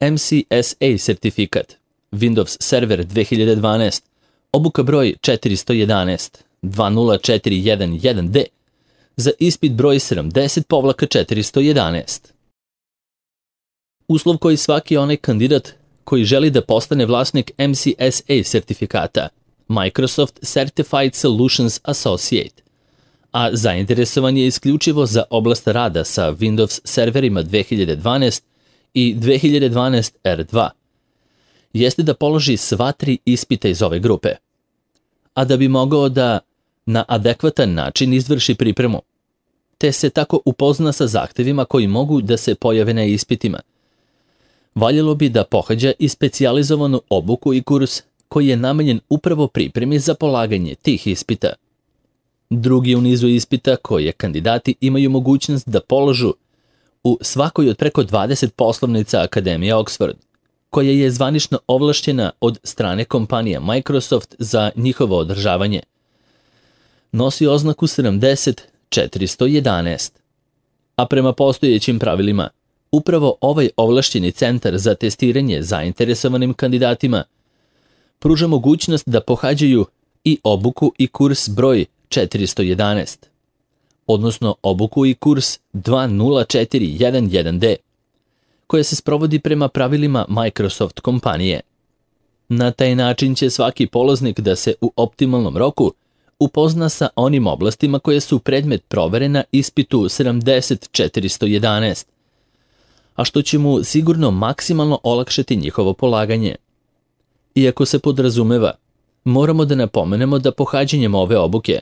MCSA sertifikat, Windows Server 2012, obuka broj 411, 20411D, za ispit broj 70-411. Uslov koji svaki onaj kandidat koji želi da postane vlasnik MCSA sertifikata, Microsoft Certified Solutions Associate, a zainteresovan je isključivo za oblast rada sa Windows serverima 2012 i 2012 R2, jeste da položi sva 3 ispita iz ove grupe. A da bi mogao da na adekvatan način izvrši pripremu, te se tako upozna sa zahtevima koji mogu da se pojave na ispitima, valjalo bi da pohađa i specijalizovanu obuku i kurs koji je namenjen upravo pripremi za polaganje tih ispita. Drugi u nizu ispita koje kandidati imaju mogućnost da položu u svakoj od preko 20 poslovnica Akademije Oxford, koja je zvanično ovlašćena od strane kompanija Microsoft za njihovo održavanje, nosi oznaku 70-411. A prema postojećim pravilima, upravo ovaj ovlašćeni centar za testiranje zainteresovanim kandidatima pruža mogućnost da pohađaju i obuku i kurs broj 411, odnosno obuku i kurs 20411D, koja se sprovodi prema pravilima Microsoft kompanije. Na taj način će svaki polaznik da se u optimalnom roku upozna sa onim oblastima koje su predmet provere na ispitu 70-411, a što će mu sigurno maksimalno olakšati njihovo polaganje. Iako se podrazumeva, moramo da napomenemo da pohađanjem ove obuke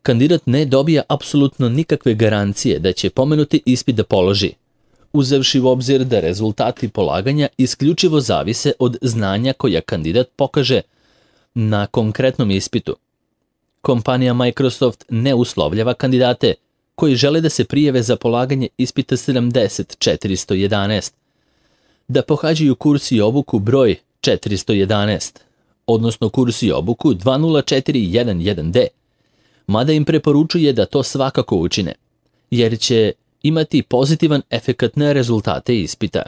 kandidat ne dobija apsolutno nikakve garancije da će pomenuti ispit da položi, uzevši u obzir da rezultati polaganja isključivo zavise od znanja koja kandidat pokaže na konkretnom ispitu. Kompanija Microsoft ne uslovljava kandidate koji žele da se prijave za polaganje ispita 70-411, da pohađaju kurs i obuku broj 411, odnosno kurs i obuku 20411D, mada im preporučuje da to svakako učine, jer će imati pozitivan efekat na rezultate ispita.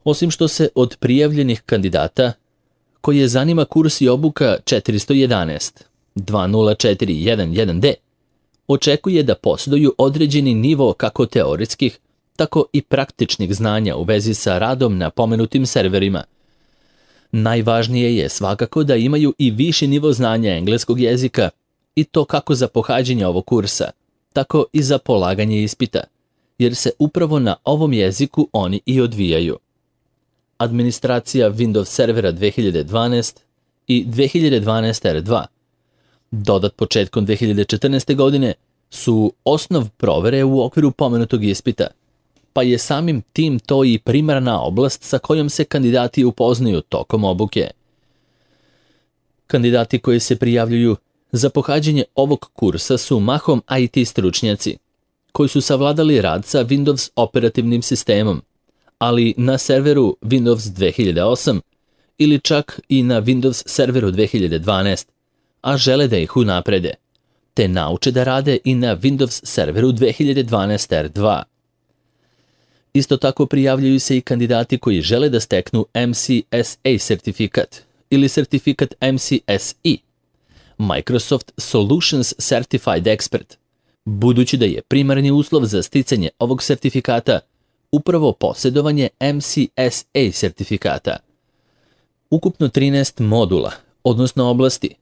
Osim što se od prijavljenih kandidata koje zanima kurs i obuka 411, 20411D, očekuje da posjeduju određeni nivo kako teoretskih, tako i praktičnih znanja u vezi sa radom na pomenutim serverima. Najvažnije je svakako da imaju i viši nivo znanja engleskog jezika, i to kako za pohađanje ovog kursa, tako i za polaganje ispita, jer se upravo na ovom jeziku oni i odvijaju. Administracija Windows servera 2012 i 2012 R2, dodat početkom 2014. godine, su osnov provere u okviru pomenutog ispita, pa je samim tim to i primarna oblast sa kojom se kandidati upoznaju tokom obuke. Kandidati koji se prijavljuju za pohađanje ovog kursa su mahom IT stručnjaci, koji su savladali rad sa Windows operativnim sistemom, ali na serveru Windows 2008 ili čak i na Windows serveru 2012, a žele da ih unaprede, te nauče da rade i na Windows serveru 2012 R2. Isto tako prijavljuju se i kandidati koji žele da steknu MCSA sertifikat ili sertifikat MCSE, Microsoft Solutions Certified Expert, budući da je primarni uslov za sticanje ovog sertifikata upravo posjedovanje MCSA sertifikata. Ukupno 13 modula, odnosno oblasti,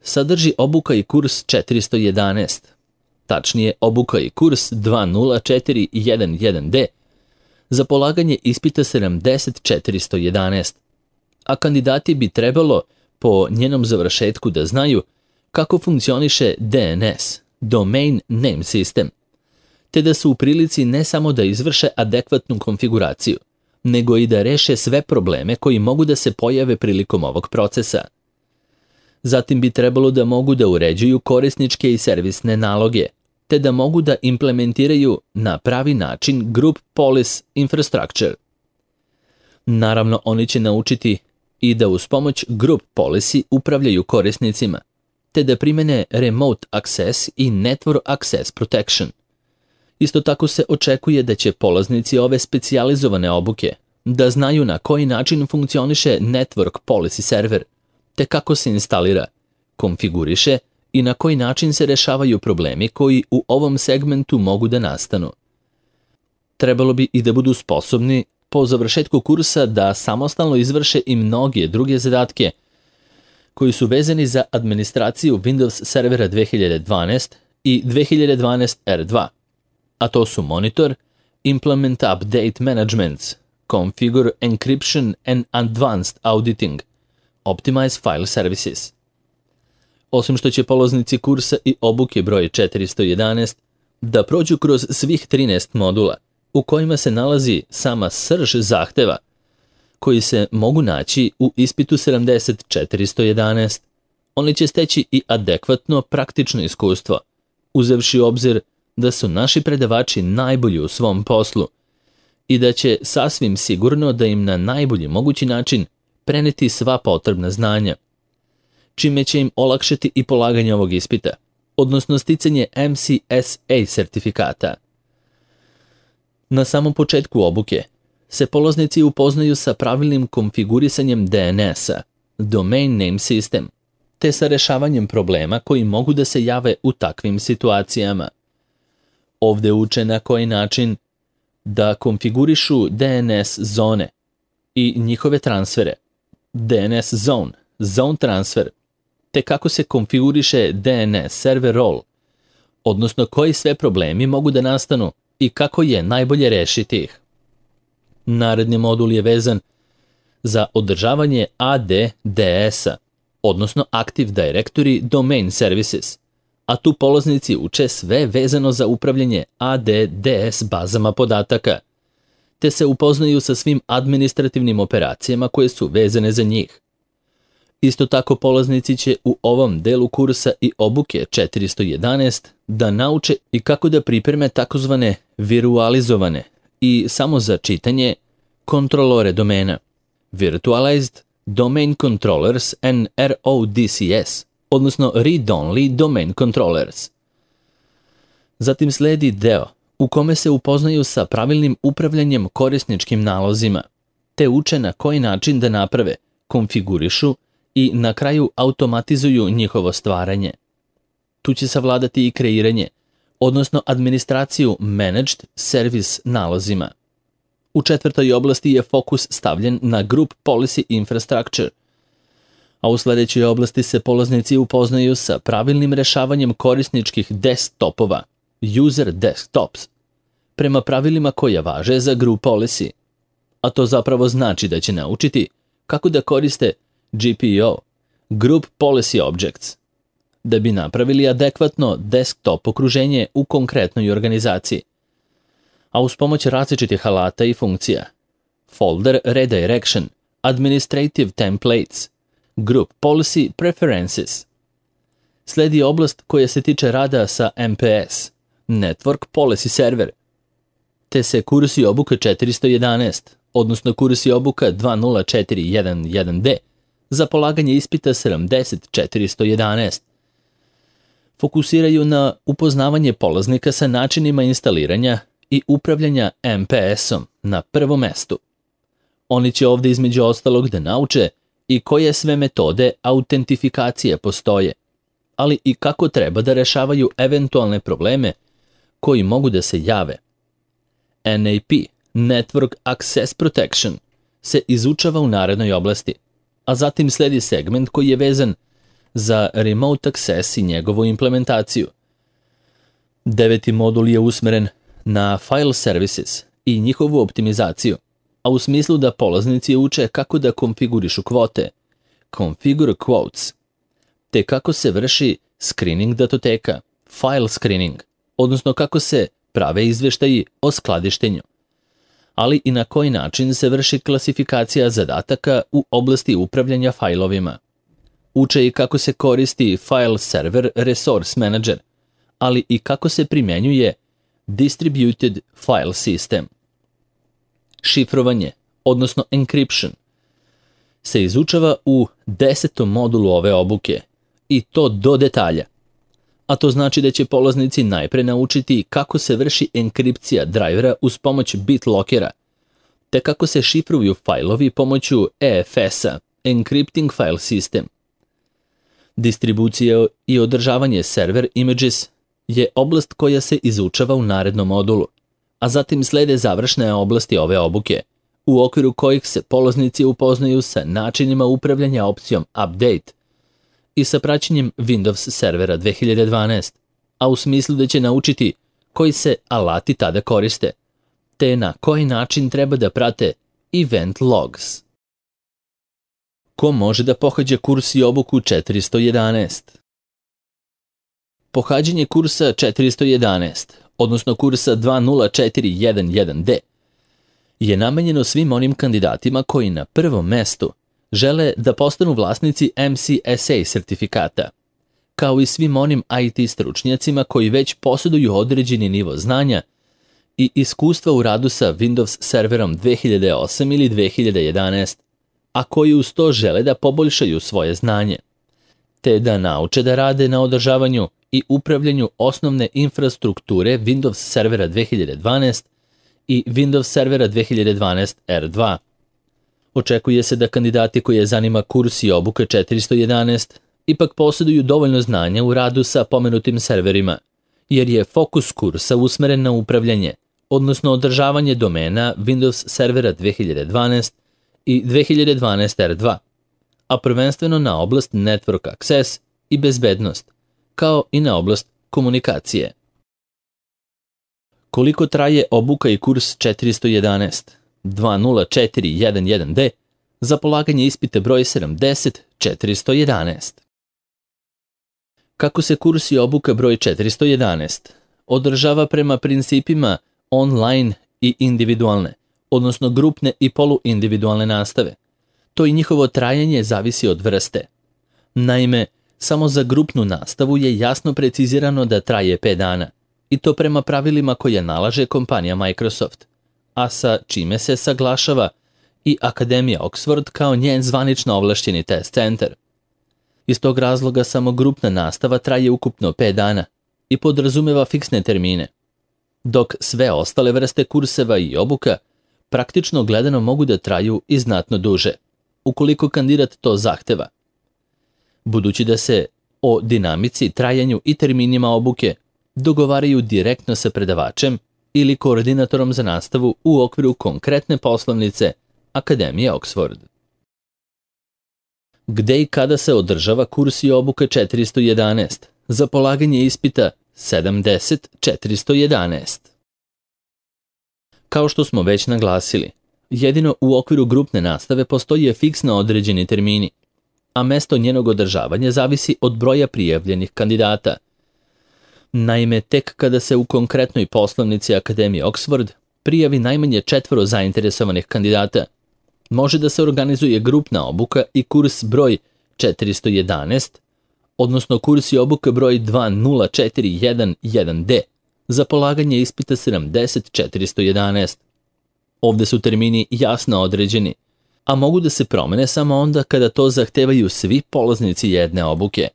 sadrži obuka i kurs 411, tačnije obuka i kurs 20411D, za polaganje ispita 70-411, a kandidati bi trebalo po njenom završetku da znaju kako funkcioniše DNS, Domain Name System, te da su u prilici ne samo da izvrše adekvatnu konfiguraciju, nego i da reše sve probleme koji mogu da se pojave prilikom ovog procesa. Zatim bi trebalo da mogu da uređuju korisničke i servisne naloge, te da mogu da implementiraju na pravi način Group Policy Infrastructure. Naravno, oni će naučiti i da uz pomoć Group Policy upravljaju korisnicima, te da primene Remote Access i Network Access Protection. Isto tako se očekuje da će polaznici ove specijalizovane obuke da znaju na koji način funkcioniše Network Policy Server, te kako se instalira, konfiguriše i na koji način se rešavaju problemi koji u ovom segmentu mogu da nastanu. Trebalo bi i da budu sposobni po završetku kursa da samostalno izvrše i mnoge druge zadatke koji su vezani za administraciju Windows servera 2012 i 2012 R2, a to su Monitor, Implement Update Management, Configure Encryption and Advanced Auditing, Optimize File Services. Osim što će polaznici kursa i obuke broj 411 da prođu kroz svih 13 modula u kojima se nalazi sama srž zahteva koji se mogu naći u ispitu 70.411, oni će steći i adekvatno praktično iskustvo, uzevši u obzir da su naši predavači najbolji u svom poslu i da će sasvim sigurno da im na najbolji mogući način preneti sva potrebna znanja, čime će im olakšati i polaganje ovog ispita, odnosno sticanje MCSA sertifikata. Na samom početku obuke se polaznici upoznaju sa pravilnim konfigurisanjem DNS-a, Domain Name System, te sa rešavanjem problema koji mogu da se jave u takvim situacijama. Ovde uče na koji način da konfigurišu DNS zone i njihove transfere, DNS zone, zone transfer, te kako se konfiguriše DNS server role, odnosno koji sve problemi mogu da nastanu i kako je najbolje rešiti ih. Naredni modul je vezan za održavanje ADDS-a, odnosno Active Directory Domain Services, a tu polaznici uče sve vezano za upravljanje ADDS bazama podataka, te se upoznaju sa svim administrativnim operacijama koje su vezane za njih. Isto tako polaznici će u ovom delu kursa i obuke 411 da nauče i kako da pripreme takozvane virualizovane i samo za čitanje kontrolore domena, Virtualized Domain Controllers and RODCS, odnosno Read-Only Domain Controllers. Zatim sledi deo u kome se upoznaju sa pravilnim upravljanjem korisničkim nalozima, te uče na koji način da naprave, konfigurišu i na kraju automatizuju njihovo stvaranje. Tu će savladati i kreiranje, odnosno administraciju Managed Service nalozima. U četvrtoj oblasti je fokus stavljen na Group Policy Infrastructure, a u sledećoj oblasti se polaznici upoznaju sa pravilnim rešavanjem korisničkih desktopova, User Desktops, prema pravilima koja važe za Group Policy, a to zapravo znači da će naučiti kako da koriste GPO, Group Policy Objects, da bi napravili adekvatno desktop okruženje u konkretnoj organizaciji, a uz pomoć različitih alata i funkcija, Folder Redirection, Administrative Templates, Group Policy Preferences. Sledi oblast koja se tiče rada sa MPS, Network Policy Server, te se kursi obuka 411, odnosno kursi obuka 20411D, za polaganje ispita 70.411. Fokusiraju na upoznavanje polaznika sa načinima instaliranja i upravljanja MPS-om na prvom mestu. Oni će ovde između ostalog da nauče i koje sve metode autentifikacije postoje, ali i kako treba da rešavaju eventualne probleme koji mogu da se jave. NAP, Network Access Protection, se izučava u narednoj oblasti, a zatim sledi segment koji je vezan za Remote Access i njegovu implementaciju. 9. modul je usmeren na File Services i njihovu optimizaciju, a u smislu da polaznici uče kako da konfigurišu kvote, Configure Quotes, te kako se vrši screening datoteka, File Screening, odnosno kako se prave izveštaji o skladištenju, ali i na koji način se vrši klasifikacija zadataka u oblasti upravljanja fajlovima. Uče i kako se koristi File Server Resource Manager, ali i kako se primjenjuje Distributed File System. Šifrovanje, odnosno encryption, se izučava u 10. modulu ove obuke, i to do detalja, a to znači da će polaznici najpre naučiti kako se vrši enkripcija drajvera uz pomoć BitLockera, te kako se šifruju fajlovi pomoću EFS-a, Encrypting File System. Distribucija i održavanje server images je oblast koja se izučava u narednom modulu, a zatim slede završne oblasti ove obuke, u okviru kojih se polaznici upoznaju sa načinima upravljanja opcijom Update i sa praćenjem Windows servera 2012, a u smislu da će naučiti koji se alati tada koriste, te na koji način treba da prate event logs. Ko može da pohađa kurs i obuku 411? Pohađanje kursa 411, odnosno kursa 20411D, je namenjeno svim onim kandidatima koji na prvom mestu žele da postanu vlasnici MCSA sertifikata, kao i svim onim IT stručnjacima koji već posjeduju određeni nivo znanja i iskustva u radu sa Windows serverom 2008 ili 2011, a koji uz to žele da poboljšaju svoje znanje, te da nauče da rade na održavanju i upravljanju osnovne infrastrukture Windows servera 2012 i Windows servera 2012 R2. Očekuje se da kandidati koje zanima kurs i obuka 411 ipak posjeduju dovoljno znanja u radu sa pomenutim serverima, jer je fokus kursa usmeren na upravljanje, odnosno održavanje domena Windows servera 2012 i 2012 R2, a prvenstveno na oblast Network Access i bezbednost, kao i na oblast komunikacije. Koliko traje obuka i kurs 411, 20411D, za polaganje ispita broj 70-411? Kako se kurs i obuka broj 411 održava prema principima online i individualne, odnosno grupne i poluindividualne nastave, to i njihovo trajanje zavisi od vrste. Naime, samo za grupnu nastavu je jasno precizirano da traje 5 dana, i to prema pravilima koje nalaže kompanija Microsoft, a sa čime se saglašava i Akademija Oxford kao njen zvanično ovlašćeni test centar. Iz tog razloga samo grupna nastava traje ukupno 5 dana i podrazumeva fiksne termine, dok sve ostale vrste kurseva i obuka praktično gledano mogu da traju i znatno duže, ukoliko kandidat to zahteva. Budući da se o dinamici, trajanju i terminima obuke dogovaraju direktno sa predavačem ili koordinatorom za nastavu u okviru konkretne poslovnice Akademije Oxford. Gde i kada se održava kurs i obuka 411 za polaganje ispita 70-411? Kao što smo već naglasili, jedino u okviru grupne nastave postoje fiksno određeni termini, a mesto njenog održavanja zavisi od broja prijavljenih kandidata. Naime, tek kada se u konkretnoj poslovnici Akademije Oxford prijavi najmanje 4 zainteresovanih kandidata, može da se organizuje grupna obuka i kurs broj 411, odnosno kurs i obuka broj 20411D za polaganje ispita 70-411. Ovde su termini jasno određeni, a mogu da se promene samo onda kada to zahtevaju svi polaznici jedne obuke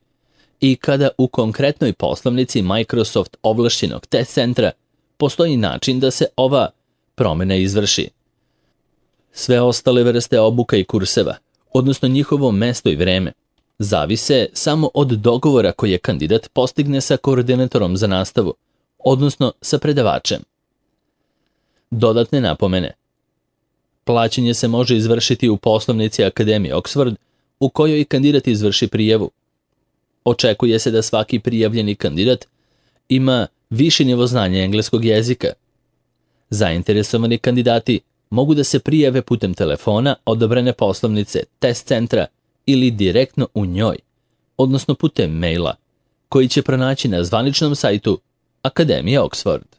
i kada u konkretnoj poslovnici Microsoft ovlašćenog test centra postoji način da se ova promena izvrši. Sve ostale vrste obuka i kurseva, odnosno njihovo mesto i vreme, zavise samo od dogovora koje kandidat postigne sa koordinatorom za nastavu, odnosno sa predavačem. Dodatne napomene. Plaćanje se može izvršiti u poslovnici Akademije Oxford u kojoj kandidat izvrši prijavu. Očekuje se da svaki prijavljeni kandidat ima viši nivo znanja engleskog jezika. Zainteresovani kandidati mogu da se prijave putem telefona odobrene poslovnice test centra ili direktno u njoj, odnosno putem maila, koji će pronaći na zvaničnom sajtu Akademije Oxford.